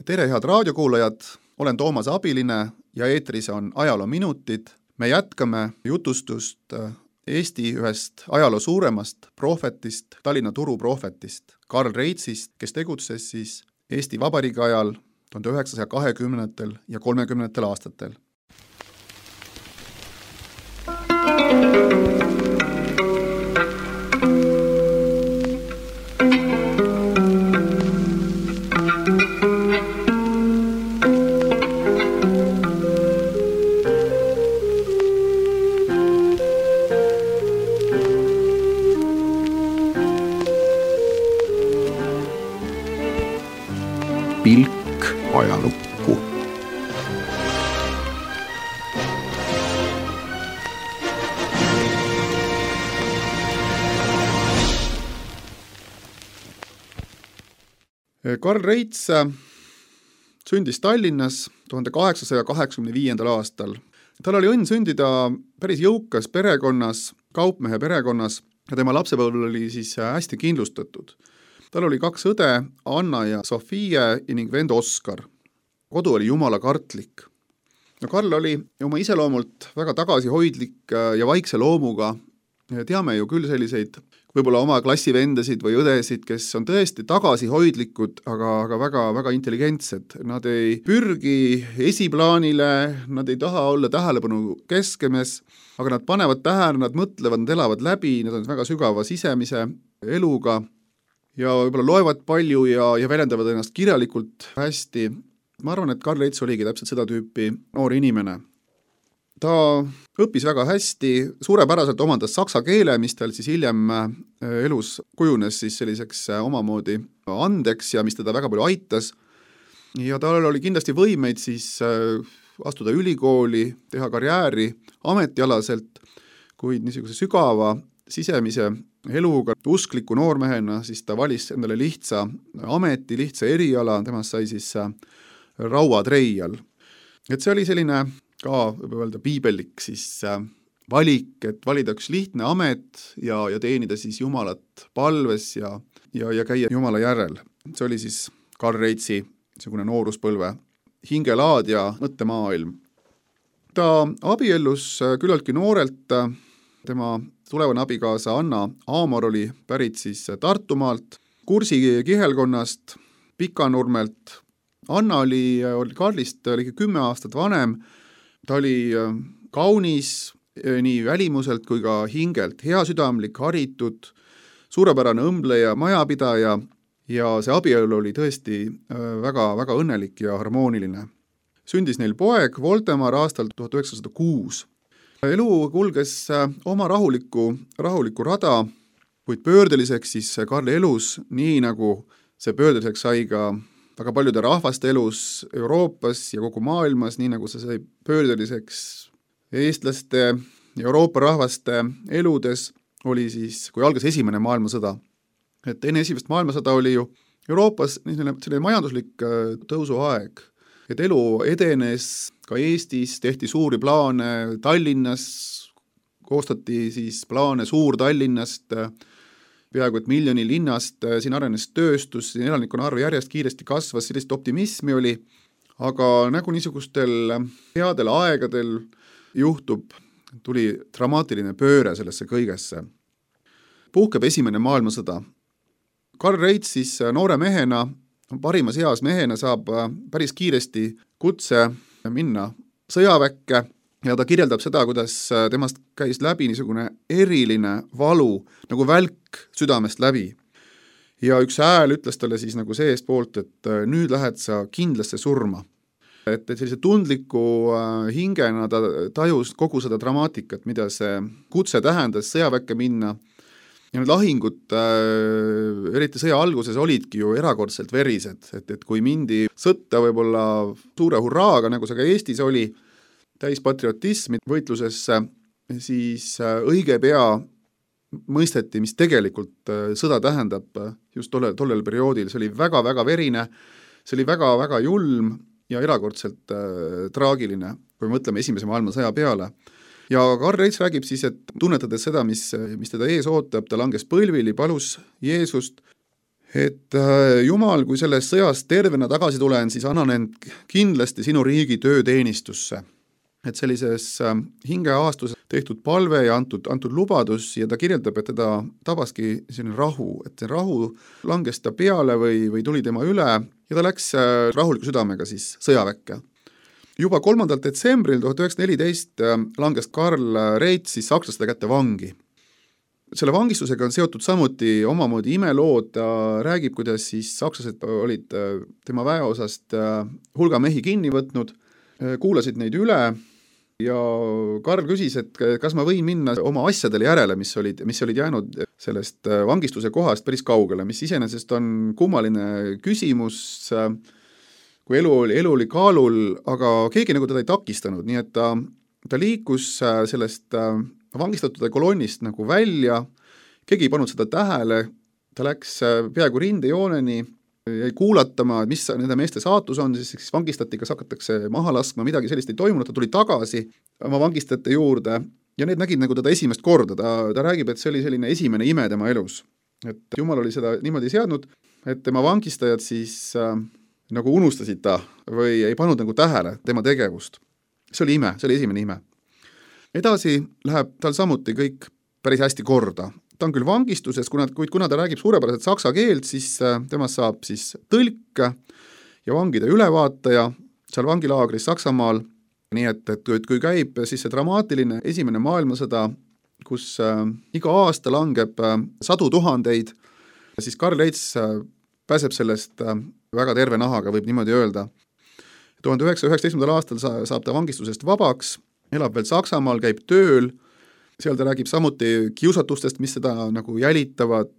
Tere, head raadiokuulajad, olen Toomas Abiline ja eetris on Ajaloominutid. Me jätkame jutustust Eesti ühest ajaloo suuremast prohvetist, Tallinna turuprohvetist, Karl Reitzist, kes tegutses siis Eesti Vabariigi ajal 1920. ja 30. aastatel. Pilk ajalukku. Karl Reits sündis Tallinnas 1885. aastal. Tal oli õnn sündida päris jõukas perekonnas, kaupmehe perekonnas, ja tema lapsepõlv oli siis hästi kindlustatud. Tal oli 2 õde, Anna ja Sofie ning vend Oskar. Kodu oli jumala kartlik. Karl oli oma iseloomult väga tagasihoidlik ja vaikse loomuga. Teame ju küll selliseid võib-olla oma klassivendasid või õdesid, kes on tõesti tagasihoidlikud, aga väga intelligentsed. Nad ei pürgi esiplaanile, nad ei taha olla tähelepanu keskemes, aga nad panevad tähele, nad mõtlevad, nad elavad läbi, nad on väga sügava sisemise eluga ja võib-olla loevad palju ja väljendavad ennast kirjalikult hästi. Ma arvan, et Karl Reits oligi täpselt seda tüüpi noor inimene. Ta õppis väga hästi, suurepäraselt omandas saksa keele, mis tal siis hiljem elus kujunes siis selliseks omamoodi andeks ja mis teda väga palju aitas. Ja tal oli kindlasti võimeid siis astuda ülikooli, teha karjääri ametialaselt, kuid niisuguse sügava sisemise eluga uskliku noormehena, siis ta valis endale lihtsa ameti, lihtsa eriala, temast sai siis rauatreial. Et see oli selline ka, võib öelda, piibellik siis valik, et valida üks lihtne amet ja teenida siis Jumalat palves ja käia Jumala järel. See oli siis Karl Reitsi niisugune nooruspõlve hingelaad ja mõttemaailm. Ta abiellus küllaltki noorelt, tema tulevane abikaasa Anna Aamor oli pärit siis Tartumaalt, Kursi kihelkonnast, Pikanurmelt. Anna oli Karlist ligi 10 aastat vanem, ta oli kaunis nii välimuselt kui ka hingelt, heasüdamlik, haritud, suurepärane õmbleja, majapidaja ja see abielu oli tõesti väga õnnelik ja harmooniline. Sündis neil poeg Voldemar aastal 1906. Elu kulges oma rahulikku rada, kuid pöördeliseks siis Karli elus, nii nagu see pöördeliseks sai ka väga paljude rahvaste elus Euroopas ja kogu maailmas, nii nagu see sai pöördeliseks eestlaste ja Euroopa rahvaste eludes, oli siis, kui algas esimene maailmasõda. Et enne esimest maailmasõda oli ju Euroopas selline majanduslik tõusuaeg, et elu edenes ka Eestis, tehti suuri plaane Tallinnas, koostati siis plaane Suur-Tallinnast, peaaegu et 1 miljoni linnast, siin arenes tööstus, siin elanikkonna arv järjest kiiresti kasvas, sellist optimismi oli, aga nagu niisugustel headel aegadel juhtub, tuli dramaatiline pööre sellesse kõigesse. Puhkeb esimene maailmasõda. Karl Reits siis noore mehena, parimas eas mehena saab päris kiiresti kutse minna sõjaväkke ja ta kirjeldab seda, kuidas temast käis läbi niisugune eriline valu, nagu välk südamest läbi. Ja üks hääl ütles talle siis nagu seest poolt, et nüüd lähed sa kindlasse surma. Et sellise tundliku hingena ta tajus kogu seda dramaatikat, mida see kutse tähendas sõjaväkke minna. Ja need lahingud, eriti sõja alguses, olidki ju erakordselt verised, et kui mindi sõtta võib-olla suure hurraaga, nagu see ka Eestis oli, täis patriotismi võitlusesse, siis õige pea mõisteti, mis tegelikult sõda tähendab just tollel perioodil. See oli väga-väga verine, see oli väga-väga julm ja erakordselt traagiline, kui mõtleme esimese maailmasõja peale. Ja Karl Reits räägib siis, et tunnetades seda, mis teda ees ootab, ta langes põlvili, palus Jeesust, et Jumal, kui sellest sõjast tervena tagasi tulen, siis annan end kindlasti sinu riigi tööteenistusse. Et sellises hingeaastuses tehtud palve ja antud lubadus ja ta kirjeldab, et teda tabaski selline rahu, et see rahu langes ta peale või tuli tema üle ja ta läks rahuliku südamega siis sõjaväkke. Juba 3. detsembril 1914 langes Karl Reits siis sakslaste kätte vangi. Selle vangistusega on seotud samuti omamoodi imelood, ta räägib, kuidas siis sakslased olid tema väeosast hulga mehi kinni võtnud, kuulasid neid üle ja Karl küsis, et kas ma võin minna oma asjadele järele, mis olid jäänud sellest vangistuse kohast päris kaugele, mis iseenesest on kummaline küsimus, kui elu oli kaalul, aga keegi nagu teda ei takistanud, nii et ta liikus sellest vangistatute kolonnist nagu välja, keegi ei pannud seda tähele, ta läks peaaegu rindejooneni, jäi kuulatama, mis nende meeste saatus on, siis vangistati, kas hakatakse maha laskma, midagi sellist ei toimunud, ta tuli tagasi oma vangistajate juurde ja need nägid nagu teda esimest korda, ta räägib, et see oli selline esimene ime tema elus. Et Jumal oli seda niimoodi seadnud, et tema vangistajad siis nagu unustasid ta või ei pannud nagu tähele tema tegevust. See oli ime, see oli esimene ime. Edasi läheb tal samuti kõik päris hästi korda. Ta on küll vangistuses, kuid kuna ta räägib suurepäraselt saksa keelt, siis temast saab siis tõlk ja vangide ülevaataja seal vangilaagris Saksamaal. Nii et kui käib siis see dramaatiline esimene maailmasõda, kus iga aasta langeb 100 000, siis Karl Reits pääseb sellest väga terve nahaga, võib niimoodi öelda. 1919. aastal saab ta vangistusest vabaks, elab veel Saksamaal, käib tööl, seal ta räägib samuti kiusatustest, mis seda nagu jälitavad,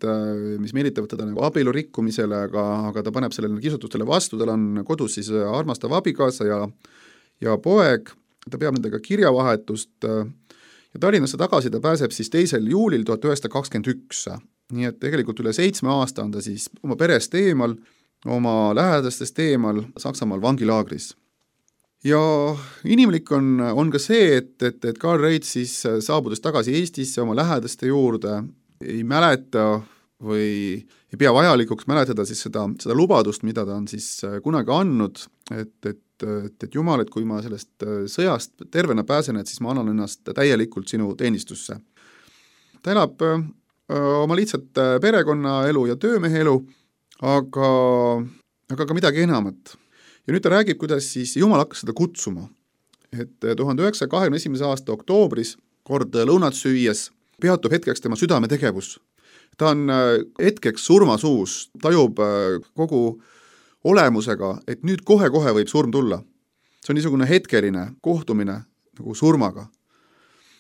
mis meelitavad teda nagu abielu rikkumisele, aga ta paneb sellele kiusatustele vastu, tal on kodus siis armastav abikaasa ja poeg, ta peab nendega kirjavahetust ja Tallinnasse tagasi ta pääseb siis 2. juulil 1921. Nii et tegelikult üle 7 aasta on ta siis oma perest eemal, oma lähedastest eemal Saksamaal vangilaagris. Ja inimlik on ka see, et Karl Reits siis saabudes tagasi Eestisse oma lähedaste juurde ei mäleta või ei pea vajalikuks mäletada siis seda lubadust, mida ta on siis kunagi andnud, et Jumal, et kui ma sellest sõjast tervena pääsen, et siis ma annan ennast täielikult sinu teenistusse. Ta elab oma lihtsalt perekonnaelu ja töömehe elu, aga ka midagi enamat. Ja nüüd ta räägib, kuidas siis Jumal hakkas seda kutsuma. Et 1921. aasta oktoobris, kord lõunat süües, peatub hetkeks tema südametegevus. Ta on hetkeks surmasuus, tajub kogu olemusega, et nüüd kohe-kohe võib surm tulla. See on niisugune hetkeline kohtumine nagu surmaga.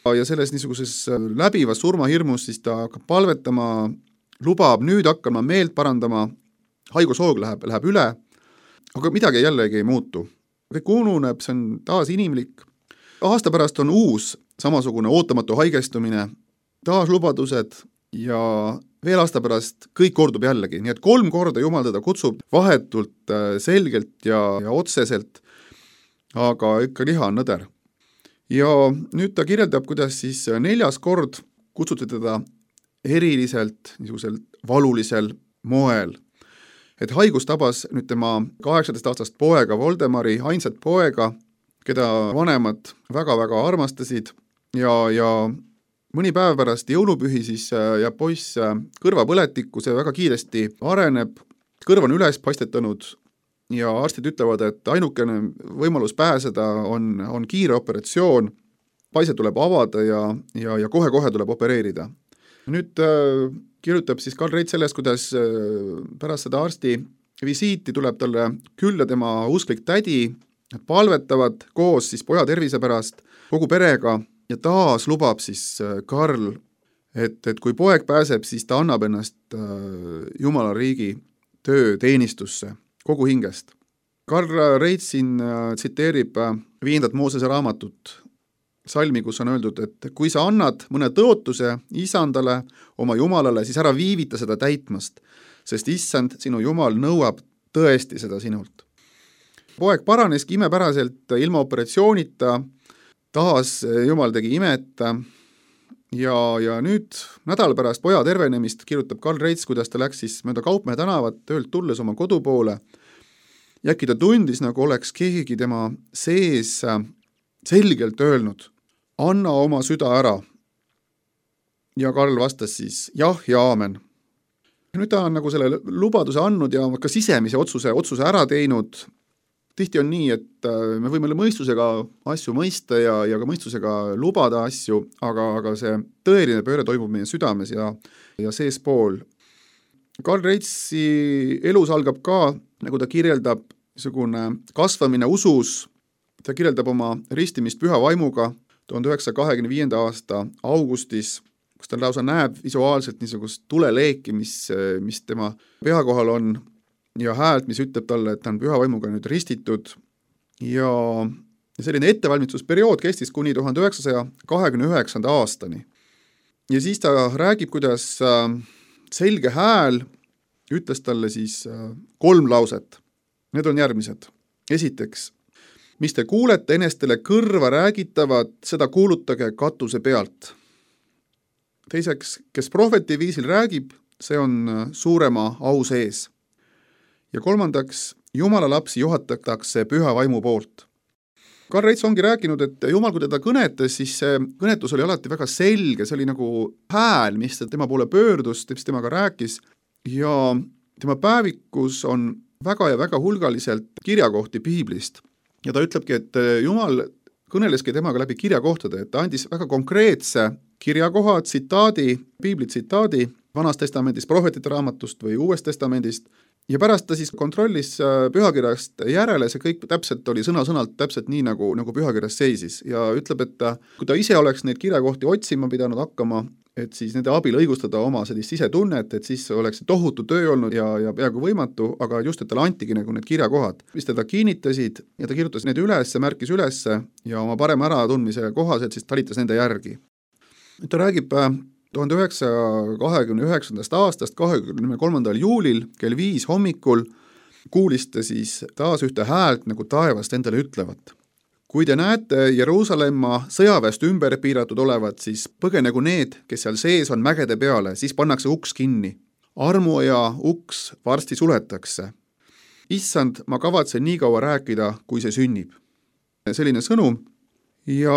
Ja selles niisuguses läbivas surmahirmus siis ta hakkab palvetama, lubab nüüd hakkama meelt parandama, haigushoog läheb üle, aga midagi jällegi ei muutu. Kõik ununeb, see on taas inimlik. Aasta pärast on uus samasugune ootamatu haigestumine, taas lubadused ja veel aasta pärast kõik kordub jällegi. Nii et 3 korda Jumal teda kutsub vahetult, selgelt ja otseselt, aga ikka liha on nõder. Ja nüüd ta kirjeldab, kuidas siis 4. kord kutsuti teda eriliselt, niisugusel valulisel moel. Et haigus tabas nüüd tema 18-aastast poega Voldemari, ainsat poega, keda vanemad väga-väga armastasid ja mõni päev pärast jõulupühi siis jääb poiss kõrvapõletikku, see väga kiiresti areneb, kõrv on üles paistetanud ja arstid ütlevad, et ainukene võimalus pääseda on kiire operatsioon, paise tuleb avada ja kohe-kohe tuleb opereerida. Nüüd kirjutab siis Karl Reits sellest, kuidas pärast seda arsti visiiti tuleb talle külla tema usklik tädi, palvetavad koos siis poja tervise pärast kogu perega ja taas lubab siis Karl, et kui poeg pääseb, siis ta annab ennast Jumala riigi tööteenistusse kogu hingest. Karl Reits siin tsiteerib 5. Moosese raamatut, salmi, kus on öeldud, et kui sa annad mõne tõotuse isandale, oma Jumalale, siis ära viivita seda täitmast, sest issand, sinu Jumal nõuab tõesti seda sinult. Poeg paraneski imepäraselt ilma operatsioonita, taas Jumal tegi imet ja nüüd nädal pärast poja tervenemist kirjutab Karl Reits, kuidas ta läks siis mööda Kaupmehe tänavat töölt tulles oma kodu poole ja äkki ta tundis, nagu oleks keegi tema sees selgelt öelnud, anna oma süda ära. Ja Karl vastas siis jah ja aamen. Nüüd ta on nagu selle lubaduse andnud ja ka sisemise otsuse ära teinud. Tihti on nii, et me võime mõistusega asju mõista ja ka mõistusega lubada asju, aga see tõeline pööre toimub meie südames ja seespool. Karl Reitsi elus algab ka, nagu ta kirjeldab, kasvamine usus. Ta kirjeldab oma ristimist püha vaimuga 1925. aasta augustis, kus ta lausa näeb visuaalselt niisugust tuleleeki, mis tema pea kohal on, ja häält, mis ütleb talle, et ta on püha vaimuga nüüd ristitud. Ja selline ettevalmistusperiood kestis kuni 1929. aastani. Ja siis ta räägib, kuidas selge hääl ütles talle siis 3 lauset. Need on järgmised. Esiteks, mis te kuulete enestele kõrva räägitavat, seda kuulutage katuse pealt. Teiseks, kes prohveti viisil räägib, see on suurema au sees. Ja 3. Jumala lapsi juhatatakse püha vaimu poolt. Karl Reits ongi rääkinud, et Jumal, kui teda kõnetas, siis see kõnetus oli alati väga selge, see oli nagu hääl, mis tema poole pöördus, mis temaga rääkis, ja tema päevikus on väga ja väga hulgaliselt kirjakohti piiblist. Ja ta ütlebki, et Jumal kõneleski temaga läbi kirjakohtade, et ta andis väga konkreetse kirjakoha, piibli tsitaadi Vanast testamendist, prohvetite raamatust või Uuest testamendist, ja pärast ta siis kontrollis pühakirjast järele, see kõik täpselt oli sõna-sõnalt täpselt nii, nagu pühakirjas seisis, ja ütleb, et kui ta ise oleks neid kirjakohti otsima pidanud hakkama, et siis nende abil õigustada oma sellist sisetunnet, et siis oleks tohutu töö olnud ja peaaegu võimatu, aga just, et talle antigi nagu need kirjakohad, mis teda kinnitasid ja ta kirjutas need üles, märkis üles ja oma parema äratundmise kohaselt siis talitas nende järgi. Ta räägib 1929. aastast 23. juulil kell 5 hommikul kuulis ta siis taas ühte häält nagu taevast endale ütlevat. Kui te näete Jeruusalemma sõjaväest ümber piiratud olevat, siis põgenegu need, kes seal sees on mägede peale, siis pannakse uks kinni. Armuoja uks varsti suletakse. Issand, ma kavatsen nii kaua rääkida, kui see sünnib. Selline sõnum. Ja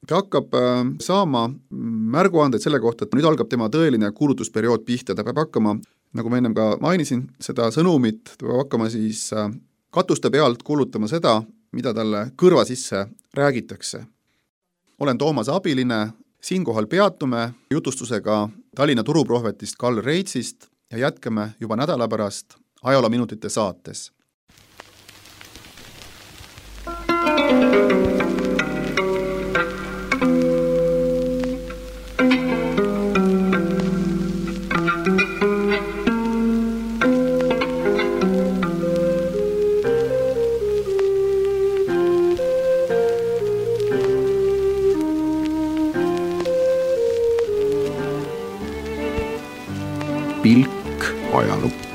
ta hakkab saama märguandeid selle kohta, et nüüd algab tema tõeline kuulutusperiood pihta. Ta peab hakkama, nagu ma ennem ka mainisin, seda sõnumit, ta peab hakkama siis katuste pealt kuulutama seda, mida talle kõrva sisse räägitakse. Olen Toomase abiline, siinkohal peatume jutustusega Tallinna turuprohvetist Karl Reitsist ja jätkame juba nädala pärast ajaloominutite saates. Pilk ajalukku.